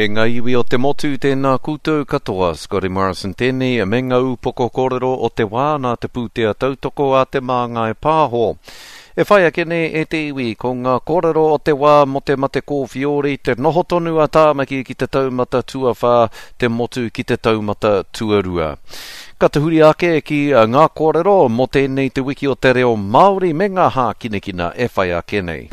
E ngā iwi o te motu, tēnā koutou katoa. Scotty Morrison tēnei me ngā upoko kōrero o te wā nā te pūtea tautoko a Te Māngai Pāho. E whai ake nei e te iwi, ko ngā kōrero o te wā mō te mate kōwhiori, te noho tonu a Tāmaki ki te taumata tuawhā, te motu ki te taumata tuarua. Ka tahuri ake ki ngā kōrero mō tēnei te wiki o te reo Māori me ngā hākinakina e whai ake nei.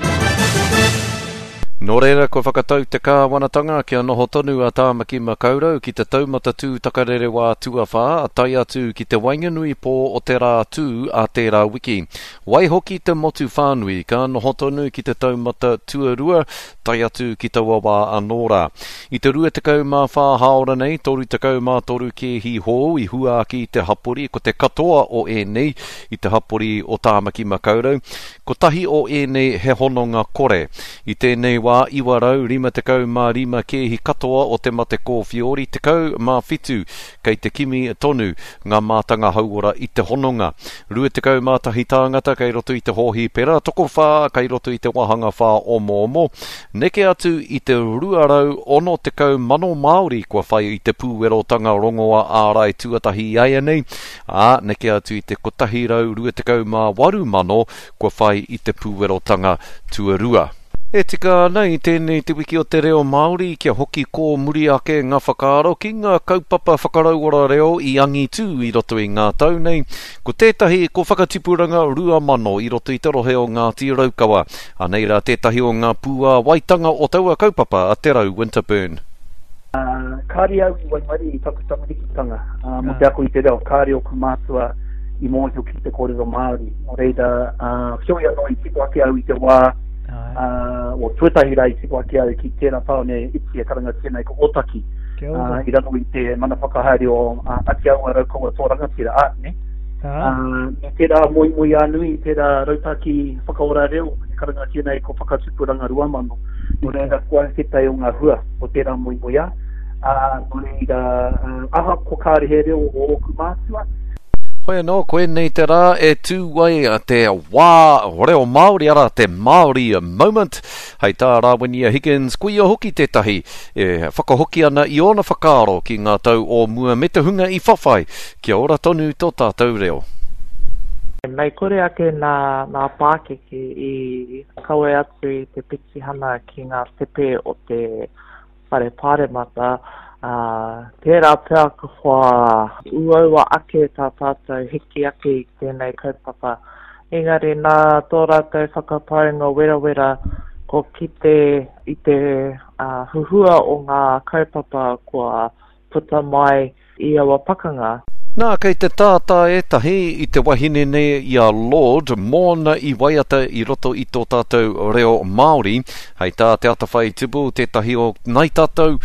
Nō reira, kua whakatau te kāwanatanga kia noho tonu a Tāmaki Makaurau ki te taumata tū takarerewā tuawhā, tae atu ki te waenganui pō o te rā tū a tērā wiki. Waihoki te motu whānui ka noho tonu ki te taumata tuarua, tae atu ki taua wā anō rā. I te 24 hāora nei, 33 kēhi hou i hua ake i te hapori, ko te katoa o ēnei i te hapori o Tāmaki Makaurau, kotahi o ēnei he hononga kore. I tēnei wā, 955 kēhi katoa o te mate kōwhiori, 17 kei te kimi tonu ngā mātanga hauora i te hononga. 21 tāngata kei roto i te hōhipera, tokowhā kei roto i te wāhanga whāomoomo. Neke atu i te 260,000 Māori kua whai i te pūwerotanga rongoa ārai tuatahi iaianei, ā, neke atu i te 128,000 kua whai i te pūwerotanga tuarua. E tika ana i tēnei Te Wiki o te Reo Māori kia hoki kōmuri ake ngā whakaaro ki ngā kaupapa whakarauora reo i angitū i roto i ngā tau nei. Ko tētahi ko Whakatipuranga 2000 i roto i te rohe o Ngāti Raukawa. Anei rā tētahi o ngā pūāwaitanga o taua kaupapa a Te Rau Winterburn. Kāre au i waimarie i taku tamarikitanga mō te ako i te reo, kāre ōku mātua i mōhio ki te kōrero Māori. Nō reira, heoi anō i tipu ake au i te wā, o tuatahi rā i tipu ake au ki tērā tāone iti e karangatia nei ko Ōtaki, i raro i te mana whakahaere o Atiawa Raukawa Toa Rangatira, ā, ne? Me tērā moemoeā nui, tērā rautaki whakaora reo e karangatia nei ko Whakatupuranga 2000. Nō reira, ko au tētahi o ngā hua o tērā moemoeā. Ā, nō reira, ahakoa kāre he reo o ōku mātua, Hoi anō, koinei te rā e tū ai te wā reo Māori, arā, te Māori moment. Hei tā Rāwinia Higgins, ko ia hoki tētahi e whakahoki ana i ōna whakaaro ki ngā tau o mua me te hunga i whawhai kia ora tonu tō tātou reo. Mei kore ake nā, nā pākeke i kawe atu i te petihana ki ngā tepe o te Whare Pāremata, ā, tērā pea kua uaua ake tā tātou hiki ake i tēnei kaupapa. Engari nā tō rātou whakapaunga werawera ko kite i te huhua o ngā kaupapa kua puta mai i aua pakanga. Nā, kei te tātā ētahi i te wahine nei i a Lorde mōna i waiata i roto i tō tātou reo Māori. Hei tā Te Atawhai Tibble, tētahi o Ngāi Tātou,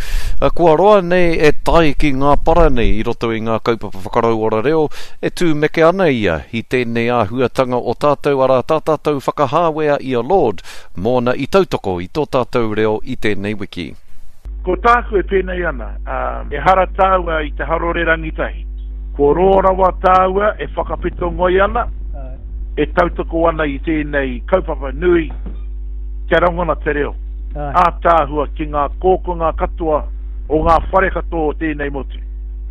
kua roa nei e tae ki ngā para nei i roto i ngā kaupapa whakarauora reo, e tūmeke ana ia i tēnei āhuatanga o tātou, arā, tā tātou whakahāwea i a Lorde mōna i tautoko i tō tātou reo i tēnei wiki. Ko tāku e pēnei ana, ehara tāua i te harore rangitahi. Kua roa rawa tāua e whakawheto ngoi ana, e tautoko ana i tēnei kaupapa nui kia rangona te reo ātaahua ki ngā kōkonga katoa o ngā whare katoa o tēnei motu.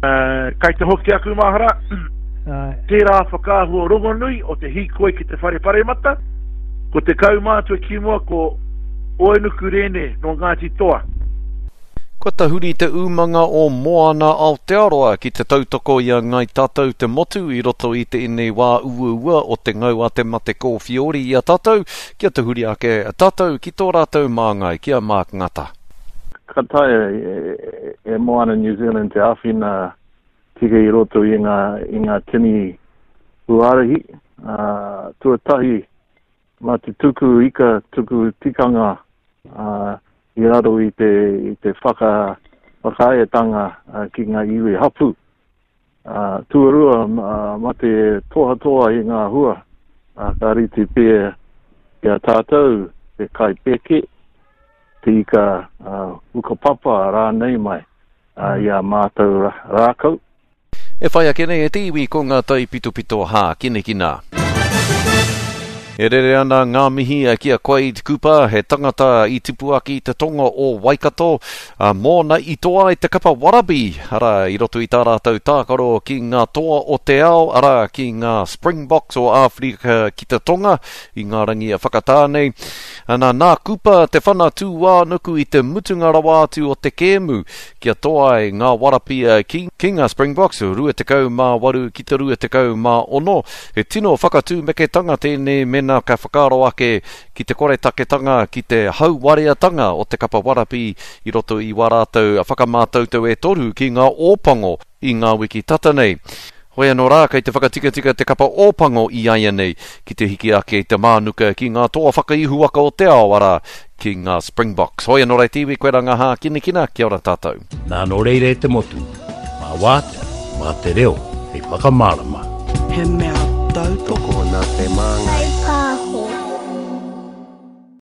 Kai te hoki aku mahara, tērā whakaahua rongonui o te hīkoi ki te whare paremata, ko te kaumātua ki mua ko Oenuku Rene nō Ngāti Toa. Kua tahuri te umanga o Moana Aotearoa ki te tautoko i a Ngai Tātou te motu i roto i tēnei wā uaua o te ngau a te mate kōwhiori i a tātou, kia tahuri ake tātou ki tō rātou māngai, ki a Mark Ngata. Ka taea e Moana New Zealand te āwhina tika i roto i ngā tini huarahi. Tuatahi, Mā te tuku ika, tuku tikanga i raro i te, i te whaka, whakaaetanga ki ngā iwi hapū. Tuarua, mā te tohatoha i ngā hua, ka rite pea ki a tātou te kai pēke, te ika hukapapa rānei mai i ā mātou rākau. E whai ake nei e te iwi ko ngā taipitopito hākinakina. E rere ana ngā mihi ki a Quade Cooper, he tangata i tipu ake i te tonga o Waikato, ā, mōna i toa ai te kapa warabi, arā, i roto i tā rātou tākaro ki ngā toa o te ao, arā, ki ngā Springboks o Āwherika ki te Tonga, i ngā rangi whakatā nei. Ana, nā Cooper te whana tūānuku i te mutunga rawa atu o te kēmu, kia toa ai ngā warapia ki, ki ngā Springboks, 28 ki te 26. He tino whakatūmeketanga tēnei mēnā ka whakaaro ake ki te koretaketanga, ki te hauwareatanga o te kapa warapi i roto i wā rātou whakamātautau e toru ki ngā Ōpango i ngā wiki tata nei. Hoi anō rā, kei te whakatikatika te kapa Ōpango i āianei ki te hiki ake i te mānuka ki ngā toa whakaihuwaka o te ao, arā, ki ngā Springboks. Hoi anō rā te iwi, koirā ngā hākinakina, kia ora tātou. Nā nō reira e te motu, mā Wātea, mā te reo hei whakamārama. He mea tautoko nā Te Māngai.